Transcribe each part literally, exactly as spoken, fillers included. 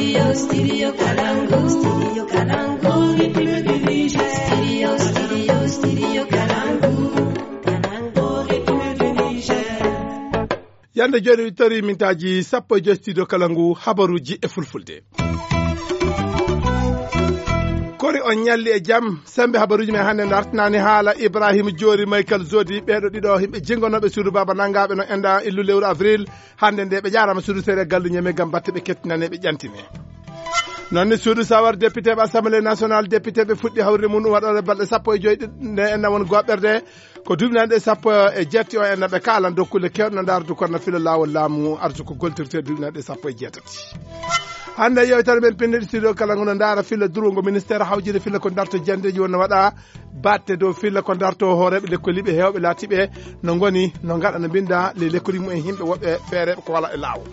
Studio Kalangu, Studio Kalangu, Studio Kalangu, Kalangu, Yande jooni wittori mintaaji sappo e joy studio kala ngu habaruuji e fulfulde. Kori on ñalli e jam, sembe habaruuji men hannde dartinaani haala Ibrahima Joori, Michael Zodi, ɓeeɗo ɗiɗo yimɓe jingonooɓe suudu baaba nangaaɓe no enda illu lewru avril. Hannde nde ɓe jaarama suudu seere gallu ñeme ngam batte ɓe kettinane ɓe ƴantine. Noon ni suudu sawar député ɓe assemblée nationale, député ɓe fuɗɗi hawrde mum waɗore balɗe sappo e joy ɗi-, nde enda won goɓɓerde. Ko duuɓi nanɗe sappo e jetti o enɗan ɓe kaalan dow kulle kewɗe no ndaara dukanna filla laawol laamu artu ko goltirte duuɓi nanɗe sappo e jeetati. Hannde yewtere men pinndi ɗi studio kala ngo no ndaara filla durwongo ministère hawjide filla ko darto jandeeji wonno waɗa batte dow filla ko darto hooreeɓe lekkoliiɓe heewɓe laatiiɓe no ngoni no ngaɗa no mbinnda le lekkoliiɓe mumen yimɓe woɓɓe feereeɓe ko wala e laawol.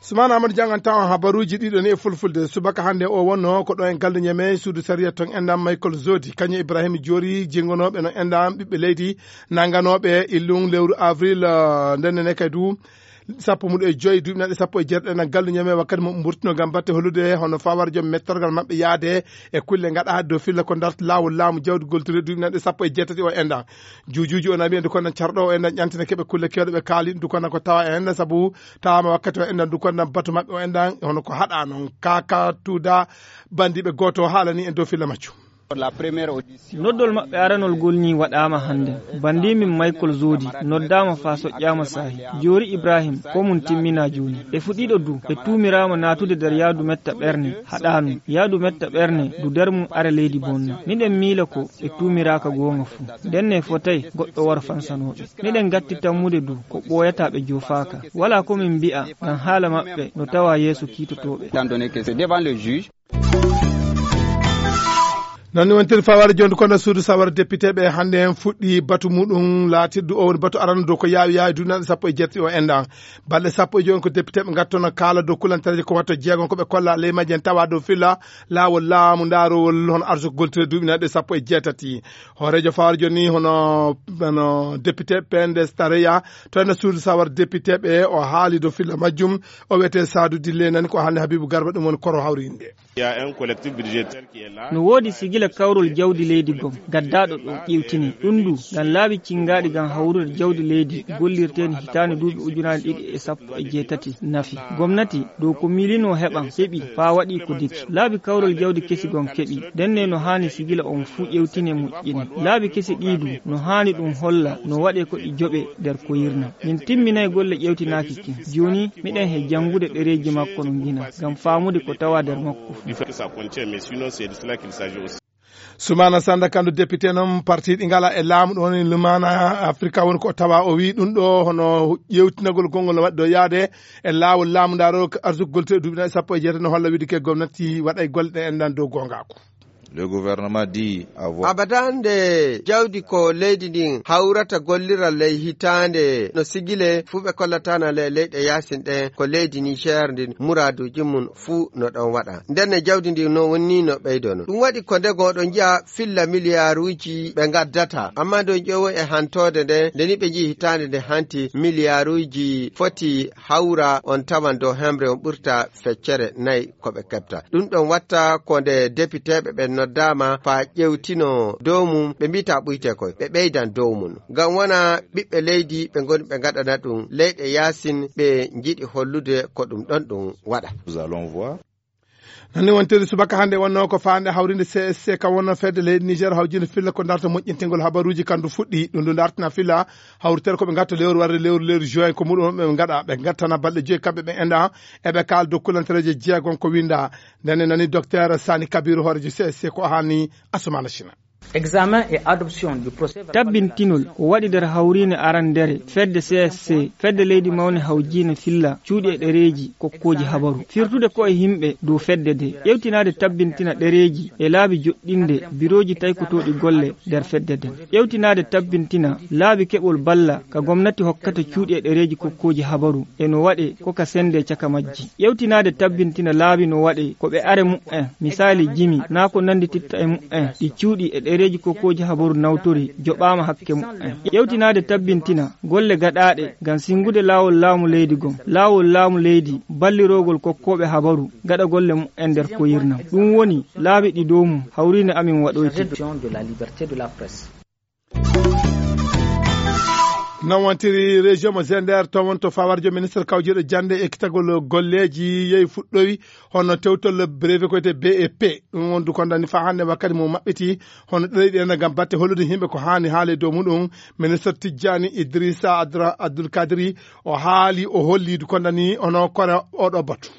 Sumana Amadou janngantaa on habaruuji ɗiɗo ni e fulfulde. Subaka hannde o wonno ko ɗo en galle ñeme suudu sariya ton enɗan Michael Zodi, kañum Ibrahima Joori, jingonooɓe no enɗan ɓiɓɓe leydi, nanganooɓe illun lewru avril, eh, ndenne ne kay du, sappo muɗo e joy, duuɓi nanɗe sappo e jeetati enɗan galle ñeme wakkati mo mburtino ngam batte hollude hono fawar joom mettorgal maɓɓe yaade e kulle ngaɗa dow filla ko darta laawol laamu jawdi goltire duuɓi nanɗe sappo e jeetati o enɗan. Juujuuji o nami en dukanna carɗo o enɗan ƴantina keɓe kulle kewɗe ɓe kaali ɗum dukanna ko tawa en sabu tawama wakkati o enɗan dukanna batu maɓɓe o enɗan hono ko haɗa noon kaka tuuda bandiɓe gooto o haalani en dow filla majju. Noddol maɓɓe aranol ngol ni waɗaama hannde. Banndiimin Michael Zodi noddaama faa soƴƴaama saahi. Joori Ibrahim, ko mum timminaa jooni. Ɓe fuɗɗiiɗo du, ɓe tuumiraama naatude nder yaadu metta ɓerne, haɗaanum. Yaadu metta ɓerne du nder mum are leydi bonna. Miɗen miila ko ɓe tuumiraaka goonga fuu. Ndenne fotay goɗɗo waro fansanoo ɓe. Miɗen ngatti tammude du ko ɓooyataa ɓe joofaaka. Walaa ko min mbi'a ngam haala maɓɓe no tawaa yeeso kiitotooɓe. Étant donné que c'est devant le juge. Noon ni wontiri faware jooni kono suudu sawara député ɓe hannde en fuɗɗi batu muɗum laatirdu o woni batu arano dow ko yaawi yaawi duuɓi nanɗe sappo e jeetati o enɗan. Balɗe sappo e jooni ko député ɓe ngattono kaala dow kulantareeje ko watto jeegom ko ɓe kolla ley majji en tawa dow filla laawol laamu ndaarowol hono arsuko goltire duuɓi nanɗe sappo e jeetati. Hooreejo faware jooni hono, hono député P N D S Tareya to ene suudu sawara député ɓe o haali dow filla majjum o wiyetee Saadu Dille nani ko haalni Habibu Garba ɗum woni koro hawrinde. Il y a un collectif budgétaire qui est là. No woodi sigila kawrol jawdi leydi gom gaddaaɗo ɗo ƴeewtini ɗum ndu ngam laabi cinngaaɗi ngam hawrude jawdi leydi gollirteeni hitaande duuɓi ujunaaji ɗiɗi e sappo e jeetati nafi. Gomnati dow ko miilinoo heɓan heɓi faa waɗi ko deki. Laabi kawrol jawdi kesi gom keɓi. Ndenne no haani sigila on fuu ƴeewtine moƴƴine. Laabi kesi ɗii du no haani ɗum holla no waɗe ko ɗi joɓe nder koyirna. Min timminay golle ƴeewtinaaki kin. Jooni miɗen he janngude ɗereeji makko no ngina ngam faamude ko tawa nder makko fuu. Du fait que ça contient, mais sinon, c'est de cela qu'il s'agit aussi. Sumana Sanda Kandu député noon parti ɗi ngala e laamu ɗo woni Lumana Afrika woni ko tawa o wi ɗum ɗo hono ƴeewtinagol konngol no waɗi ɗo yaade e laawol laamu ndaaro arsugol te duuɓi sappo e jeetati no holla wiide ke gomnati waɗa e golle ɗe enɗan dow goongaaku. Le gouvernement dit avoir. Abada nde jawdi ko leydi ndin hawrata gollira ley hitaande no sigile fuu ɓe kollatana le leyɗe yaasin ɗen ko leydi Niger ndin muraaduuji mum fuu no ɗon waɗa. Nden ne jawdi ndin no wonni no ɓeydono. Ɗum waɗi ko ndego oɗon njiya filla miliyaaruuji ɓe ngaddata. Amma ndo ƴeewo e hantoode nde, nde ni ɓe njiyi hitaande nde hanti miliyaaruuji foti hawra on tawan dow hemre on ɓurta feccere nayi ko ɓe keɓta. Ɗum ɗon watta ko nde depiteeɓe ɓen noddaama faa ƴeewtino dow mum, ɓe mbiita ɓuyte koy, ɓe ɓeydan dow mum. Ngam wona ɓiɓɓe leydi ɓe ngoni ɓe ngaɗana ɗum leyɗe yaasin ɓe njiɗi hollude ko ɗum ɗon ɗum waɗa. Nous allons voir. Noon ni wontiri subaka hannde wonnoo ko faande hawrinde C S C kam wonnoo fedde leydi Niger hawjinde filla ko darta moƴƴintingol habaruuji kandu fuɗɗi. Ɗum ndu dartina filla hawritere ko ɓe ngatta lewru warde lewru lewru juin ko muɗum ɓe ngaɗa ɓe ngattana balɗe joyi kamɓe ɓe enda eɓe kaal dow kulantereeje jeegom ko winda. Ndenne nani docteur Sani Kabiru hoorejo C S C ko haani Asumana China. Examen et adoption du procès verbal. Tabbintinol ko waɗi nder hawriinde aranndeere fedde C S C, fedde leydi mawne hawjiinde filla cuuɗi e ɗereeji kokkooji habaru. Firtude ko e yimɓe dow fedde nde. Ƴeewtinaade tabbintina ɗereeji e laabi joɗɗinde birooji taykotooɗi golle nder fedde nden. Ƴeewtinaade tabbintina laabi keɓol balla ka gomnati hokkata cuuɗi e ɗereeji kokkooji habaru e no waɗe ko ka sende caka majji. Ƴeewtinaade tabbintina laabi no waɗe ko ɓe are mu'en, misaali jimi, naa ko nanndititta e mu'en, ɗi cuuɗi e Dereeji kokkooji habaru nawtori joɓaama hakke mumen. Ƴeewtinaade tabbintina golle gaɗaaɗe ngam sinngude laawol laamu leydi gom, laawol laamu leydi, ballirogol kokkooɓe habaru gaɗa golle mumen nder koyirnam. Ɗum woni laabi ɗi dow mum hawriine amin waɗoyti. Non wontiri région mo Zender, to won to fawarjo ministre kawjiiɗo jannde e kitagol golleeji yehi fuɗɗowi, hono tewtol brevet ko wiyetee B E P. Ɗum won du kondani faa hannde wakkati mo maɓɓiti, hono ɗeɗi ɗen ngam batte hollude yimɓe ko haani haale dow muɗum. Ministre Tijjani Idrissa Adra-, Abdul Kadri, o haali, o holli du kondani hono kora oɗo batu.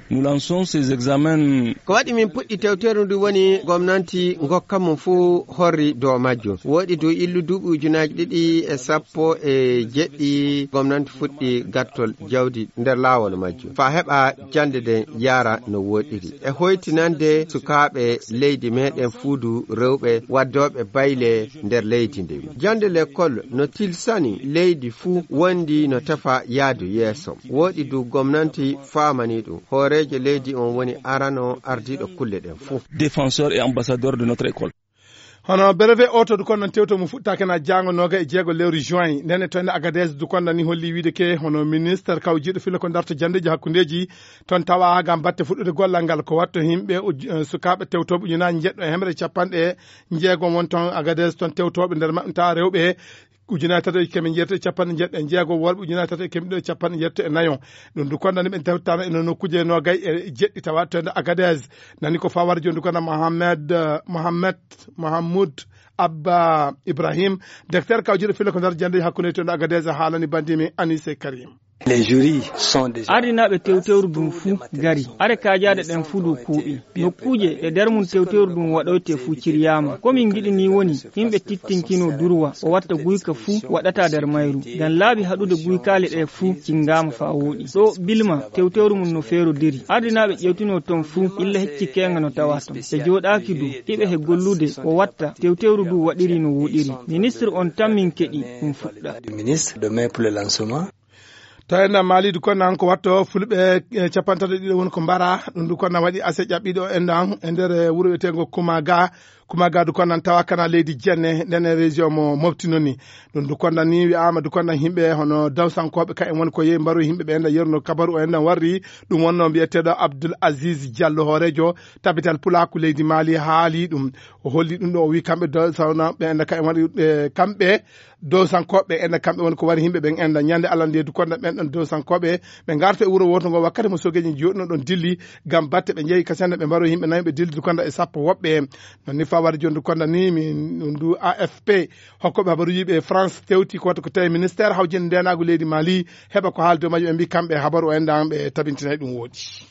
Nous lançons ces examens. Ko waɗi min puɗɗi tewteeru ndu woni gomnanti ngokka mum fuu horri dow majjum. Woɗi dow illu duuɓi ujunaaji ɗiɗi e sappo e jeɗɗi, gomnanti fuɗɗi gattol jawdi nder laawol majjum. Faa heɓa jannde nden yaara no woɗiri. E hoytinande sukaaɓe leydi meɗen fuudu rewɓe waddooɓe bayle nder leydi ndin. Jannde lekkol no tilsani leydi fuu wondi no tefa yaadu yeeso. Woɗi du gomnanti faamani ɗum. Hooreejo leydi on woni arano ardiiɗo kulle ɗen fuu. Défenseur et ambassadeur de notre école. Hono brevet o to du kon non tewto mo fuɗɗaake na jaango nooga e jeego lewru juin. Nden e to ende Agadez du kon ni holli wiide ke hono ministre kawjiiɗo filo ko darto janndeeji hakkundeeji ton tawa ngam batte fuɗɗude gollal ngal ko watto yimɓe uj-, eh, sukaaɓe tewtooɓe ujunaaji njeɗɗo e hemre capanɗe jeegom won ton Agadez ton tewtooɓe nder maɓɓe tawa rewɓe ujunaaji tato e keme jeetati e capanɗe jeetati e jeego, worɓe ujunaaji tato e keme ɗiɗi e capanɗe jeetati e nayo. Ɗum du kondani ɓe tawtama e no nokkuuje noogay e jeɗɗi tawa to nder Agadez. Nani ko fawar jooni du kono Mohamed, eh, Mohamed, Mohamoud Abba Ibrahim, docteur kawjiiɗo filo ko nder jannde hakkunde to nder Agadez e haalani bandi men Anise Karim. Les jurys sont déjà Ardinaaɓe tewtewru ndun fuu gari. Are kaajaaɗe ɗen fuu du kuuɓi. Nokkuuje ɗe nder mun tewtewru ndun waɗoyte fuu ciryaama. Ko min ngiɗi ni woni, yimɓe tittinkino durwa, o watta guyka fuu waɗata nder mayru. Ngam laabi haɗude guykaali ɗe fuu cingaama faa wooɗi. Ɗo Bilma tewtewru mun no feerodiri. Ardinaaɓe ƴewtino ton fuu, illa hecci keenga no tawa ton. Ɓe jooɗaaki du, iɓe he gollude, o watta tewtewru du waɗiri no wooɗiri. Ministre on tan min keɗi ɗum fuɗɗa. Du ministre de mai pour le lancement. Tawi na Mali du kono nan ko watto fulɓe, eh, capanɗe tati e ɗiɗo woni ko mbara. Ɗum du kono nan waɗi ase ƴaɓɓiɗo en ɗan e nder, eh, wuro wiyeteengo Kumaga. Kumaga du kono nan tawa kana leydi jenne nden e région mo Mopti noni. Ɗum du kono nan ni wi'aama du kono nan yimɓe hono dawsankooɓe ka en woni ko yehi mbaru yimɓe ɓe enda yerno kabaru o enda warri. Ɗum wonno mbiyeteeɗo Abdoul Aziz Diallo hooreejo tabital pulaaku leydi Mali haali ɗum. O holli ɗum ɗo o wi kamɓe dawsana ɓe enda ka en woni, eh, kamɓe dowsankooɓe ɓe enda kamɓe woni ko wari yimɓe ɓen enda ñande Allah nde du konda ɓen ɗon dowsankooɓe ɓe ngarta e wuro wooto ngo wakkati mo sogeeji jooɗino ɗon dilli ngam batte ɓe njehi kasende ɓe mbaro yimɓe nayo ɓe dilli du konda e sappo woɓɓe. Non ni fawar jooni du konda ni min ndu A F P hokkooɓe habaruuji ɓe France tewti ko watta ko tawi ministère hawjinde ndeenaagu leydi Mali heɓa ko haali dow majje ɓe mbi kamɓe habaru o enda ɓe tabintinay ɗum wooɗi.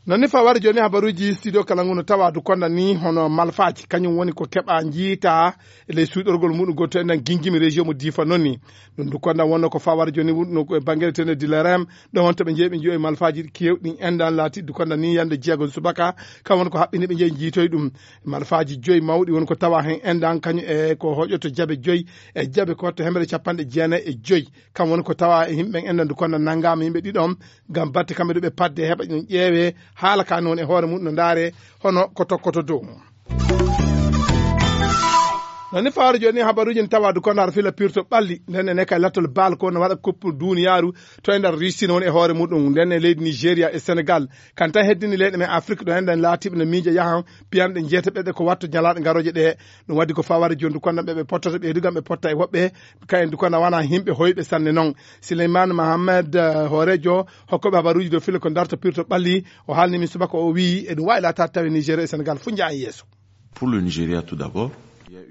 Non ni fawar jooni habaruuji studio kala ngu no tawa du konda ni hono malfaaji kañum woni ko keɓa njiita e ley suuɗorgol muɗum goto en nan gingimi région mo difa non ni. Ɗum du konda wonno ko fawar jooni wonno ko e bangere tene dilarem ɗo wonto ɓe jeeɓi joyi malfaaji kewɗi endan laati du konda ni yande jeego subaka kam woni ko haɓɓini ɓe jeeyi jiitoy ɗum. Malfaaji joyi mawɗi woni ko tawa hen endan kañum e ko hoƴoto jabe joyi e jabe ko watto hemere capanɗe jeenayi e joyi. Kam woni ko tawa e yimɓe en endan du konda nangama yimɓe ɗiɗon ngam batte kamɓe du ɓe padde heɓa ɗum ƴeewe haala ka noon e hoore mum no ndaare hono ko tokkoto dow mum. Non ni fawre jooni habaruuji ne tawa du kono har fila pirto ɓalli nden ene kay lattol baal ko no waɗa coupe duniyaaru to e nder Russie no woni e hoore muɗum nden e leydi Nigeria e Senegal kan tan heddini leyɗe men Afrique ɗo enɗen laatiɓe no miija yahan piyanɗe jeetaɓeɗe ko watto ñalaaɗe ngarooje ɗe. Ɗum waɗi ko faware jooni du kono ɓe ɓe pottata ɓeydu gam ɓe potta e woɓɓe kayen du kono wona yimɓe hoyɓe sanne noon. Sileyman Mohamed, eh, hooreejo hokkooɓe habaruuji dow filo ko darto pirto ɓalli o haalni min subaka o wii eɗum waawi laataade tawi Nigeria e Senegal fof njaha yeeso. Pour le Nigeria tout d'abord.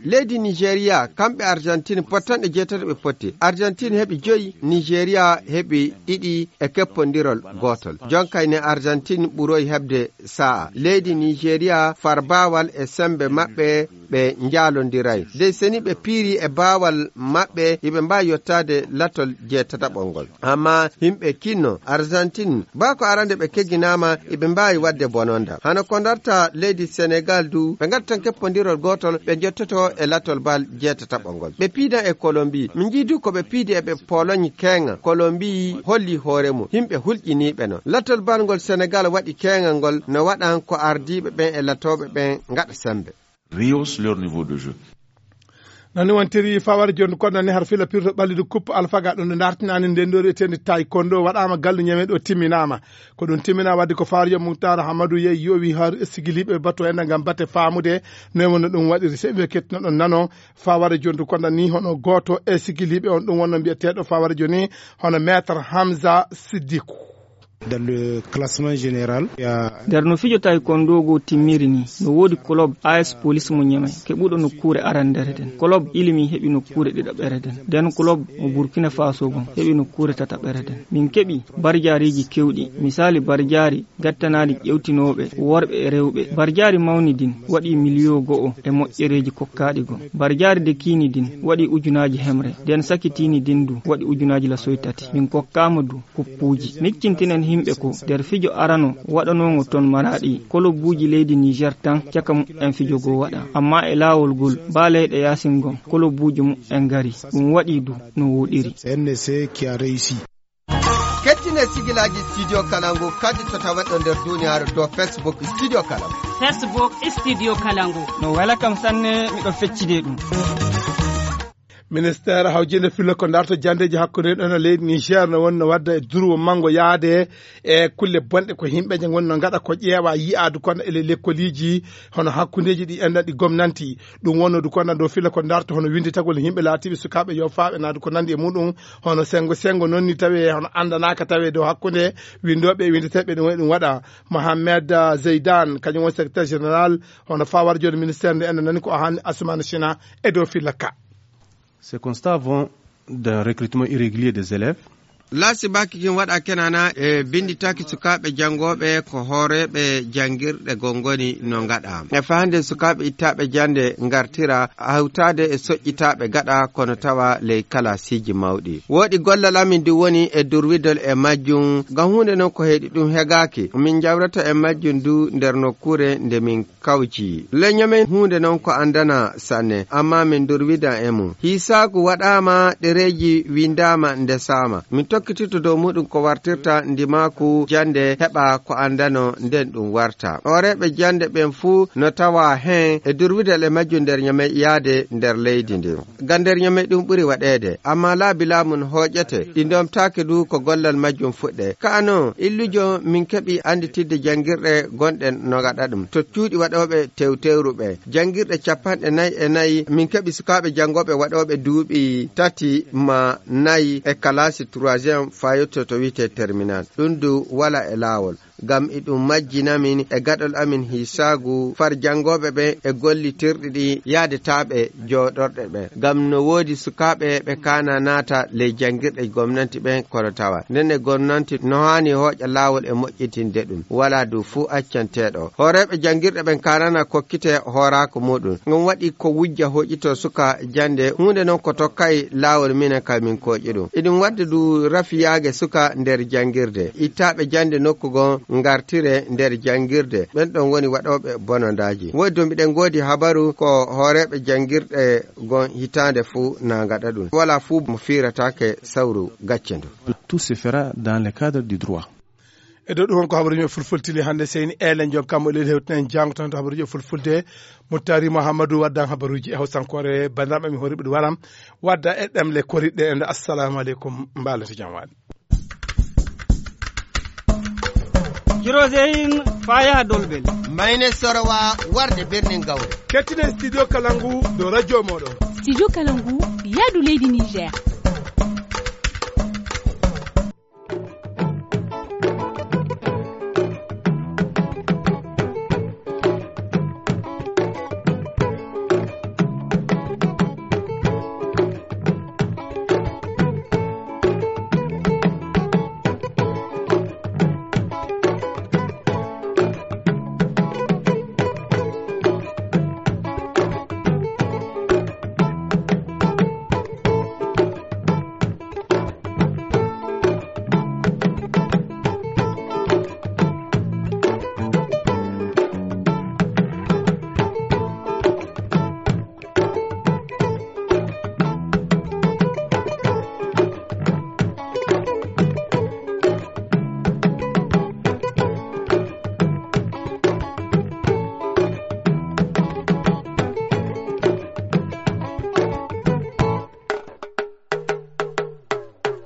Leydi Nigeria kamɓe Argentine pottanɗe jeetato ɓe potti. Argentine heɓi joyi, Nigeria heɓi ɗiɗi e keppondirol gootol. Jonkay ne Argentine ɓuroy heɓde sa'a. Leydi Nigeria far baawal e sembe maɓɓe ɓe njaalondiray. Dey seni ɓe piiri e baawal maɓɓe, iɓe mbaawi yottaade latol jeetataɓol ngol. Amma yimɓe kinno, Argentine, baa ko arande ɓe kegginaama, iɓe mbaawi waɗde bononda. Hano ko ndarta leydi Senegal du, ɓe ngattan keppondirol gootol, ɓe njottoto e latol bal jeetataɓol ngol. Ɓe piidan e Colombie. Min njii du ko ɓe piidi e ɓe Pologne keeŋa. Colombie holli hoore mum. Yimɓe hulƴiniiɓe no. Latol bal ngol Senegal waɗi keeŋa ngol, no waɗan ko ardiiɓe ɓen e latooɓe ɓen ngaɗa sembe. rehaussent leur niveau de jeu. Nani wontiri fawar jondu kono nani har fila pirto ɓallidu coupe alfaga ɗum nde dartinaani nden ɗo eteni taekwondo waɗaama gallu ñame ɗo timminaama. Ko ɗum timmina wadde ko fawar yo muktar hamadu yeyi yowi har sigiliɓe bato en ngam batte faamude noy wonno ɗum waɗiri seɓe kettuno ɗon nano. Fawar jondu kono ni hono gooto e sigiliɓe on ɗum wonno mbiyeteeɗo fawar joni hono maître Hamza Siddiku. Dans le classement général, il y a nder no fijo taekwondo go timmiri ni, no woodi club A S Police mo Ñamey keɓuɗo nokkuure arandere den. Club Ilimi heɓi nokkuure ɗiɗaɓere den. Den club mo Burkina Faso gon heɓi nokkuure tataɓere den. Min keɓi barjaariji kewɗi, misali barjaari gattanaali ƴewtinooɓe worɓe e rewɓe. Barjaari mawni din waɗi miliyo go'o e moƴƴereeji kokkaaɗi gon. Barjaari dekiini din waɗi ujunaaji hemre. Den sakitiini din du waɗi ujunaaji lasoy tati. Min kokkaama du kuppuuji. Miccintinen himɓe ko nder fijo arano waɗanoongo ton Maraɗi, kolobuuji leydi Niger tan caka mu'en fijo goo waɗa. Amma e laawol gol, baa leyɗe yaasin gon, kolobuuji mu'en ngari. Ɗum waɗi du no wooɗiri. C N C qui a réussi. Kettine sigilaaji Studio Kalangu kadi to taweɗo nder duniyaaru to Facebook Studio Kalangu. Facebook Studio Kalangu. No wela kam sanne, miɗo feccide ɗum. Ministeer hawjinde fillo ko darto jandeeji hakkunde ɗon e leydi Niger no wonno wadda e durwo manngo yaade e kulle bonɗe ko yimɓe je ngonno ngaɗa ko ƴeewa yi'aadu kono e le-, lekkoliiji hono hakkundeeji ɗi enɗan ɗi gomnanti. Ɗum wonno du kono dow fillo ko darto hono winnditagol yimɓe laatiiɓe sukaaɓe yofaaɓe naadu ko nandi e muɗum hono sengo sengo noon ni tawi hono anndanaaka tawi dow hakkunde winndooɓe e winndeteeɓe ɗum waɗi ɗum waɗa. Mohamed, ah, Zeydan, kañum woni secrétaire général hono fawar jooni ministère nde enen nani ko o haali Assoumani China e dow filla ka. Ces constats vont d'un recrutement irrégulier des élèves. Laasi baki kin waɗa kenana e binditaki sukaaɓe janngooɓe ko hooreeɓe janngirɗe gongoni no ngaɗa. E fahande sukaaɓe ittaaɓe jannde ngartira hawtaade e soƴƴitaaɓe gaɗa kono tawa ley kalaasiiji mawɗi. Woɗi gollal amin du woni e durwidol e majjum, ngam huunde non ko heɗi ɗum hegaaki. Min njawrata e majjum du nder nokkuure nde min kawji. Leño men huunde non ko anndana sanne, amma min durwida e mum. Hiisaagu waɗaama ɗereeji winndaama ndesaama. Min tokkitirto dow muɗum ko wartirta ndimaaku jannde heɓa ko anndano nden ɗum warta. Hooreeɓe jannde ɓen fuu no tawa heen e durwidal e majjum nder ñame yaade nder leydi ndin. Ngam nder ñame ɗum ɓuri waɗeede, amma laabi laamu no hooƴete, ɗi ndomtaaki du ko gollal majjum fuɗɗe. Ka'a non, illujo min keɓi annditidde janngirɗe gonɗe no ngaɗa ɗum. To cuuɗi waɗooɓe tewtewru ɓe, janngirɗe capanɗe nayi e nayi, min keɓi sukaaɓe janngooɓe waɗooɓe duuɓi tati ma nayi e kalaasi troisième fayotto to wi'etee terminal. Ɗum du wala e laawol. Ngam iɗum majjina min e gaɗol amin hiisaagu far janngooɓe ɓen e gollitirɗi ɗi yaadetaaɓe jooɗorɗe ɓen. Ngam no woodi sukaaɓe ɓe kaana naata ley janngirɗe gomnanti ɓen kono tawa. Nden e gomnanti no haani hooƴa laawol e moƴƴitinde ɗum. Walaa du fuu accanteeɗo. Hooreeɓe janngirɗe ɓen kaanana kokkite hooraaku muuɗum. Ngam waɗi ko wujja hooƴito suka jannde. Huunde non ko tokkay laawol minen ka min kooƴi ɗum. Iɗum wadde du rafiyaage suka nder janngirde. Ittaaɓe jannde nokku goo ngartire nder janngirde. Ɓen ɗon woni waɗooɓe bonondaaji. Woodi to mbiɗen ngoodi habaru ko hooreeɓe janngirɗe goo hitaande fuu na ngaɗa ɗum. Walaa fuu mo fiirataake sawru gacce ndu. Tout se fera dans le cadre du droit. E dow ɗum won ko habaruuji men fulfulde tili hannde, seyni Elen Joop kam o leli hewtinen janngo tan to habaruuji e fulfulde. Muttari Muhammadu waddan habaruuji e hawsankoore. Banndiraaɓe mi horiɓe ɗum waram wadda e ɗemle koritɗe en. Assalamu aleykum, mbaalete jam waali. Jiroseyin faa yaha Dolbel. Mayne Sorowa warde birnin Gawle. Kettinen Studio Kalangu dow radio mooɗon. Studio Kalangu, yaadu leydi Niger.